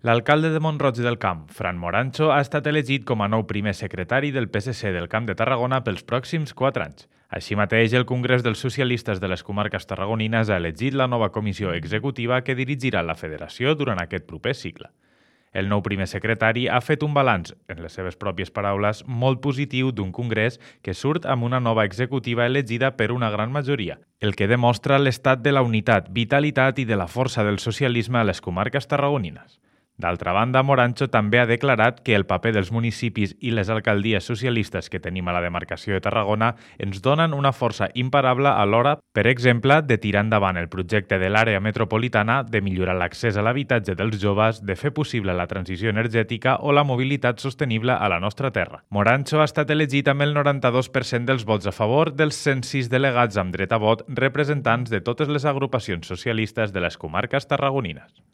L'alcalde de Mont-roig del Camp, Fran Morancho, ha estat elegit com a nou primer secretari del PSC del Camp de Tarragona pels pròxims 4 anys. Així mateix, el Congrés dels Socialistes de les Comarques Tarragonines ha elegit la nova comissió executiva que dirigirà la federació durant aquest proper cicle. El nou primer secretari ha fet un balanç, en les seves pròpies paraules, molt positiu d'un congrés que surt amb una nova executiva elegida per una gran majoria, el que demostra l'estat de la unitat, vitalitat i de la força del socialisme a les comarques tarragonines. D'altra banda, Morancho també ha declarat que el paper dels municipis i les alcaldies socialistes que tenim a la demarcació de Tarragona ens donen una força imparable a l'hora, per exemple, de tirar endavant el projecte de l'àrea metropolitana, de millorar l'accés a l'habitatge dels joves, de fer possible la transició energètica o la mobilitat sostenible a la nostra terra. Morancho ha estat elegit amb el 92% dels vots a favor dels 106 delegats amb dret a vot representants de totes les agrupacions socialistes de les comarques tarragonines.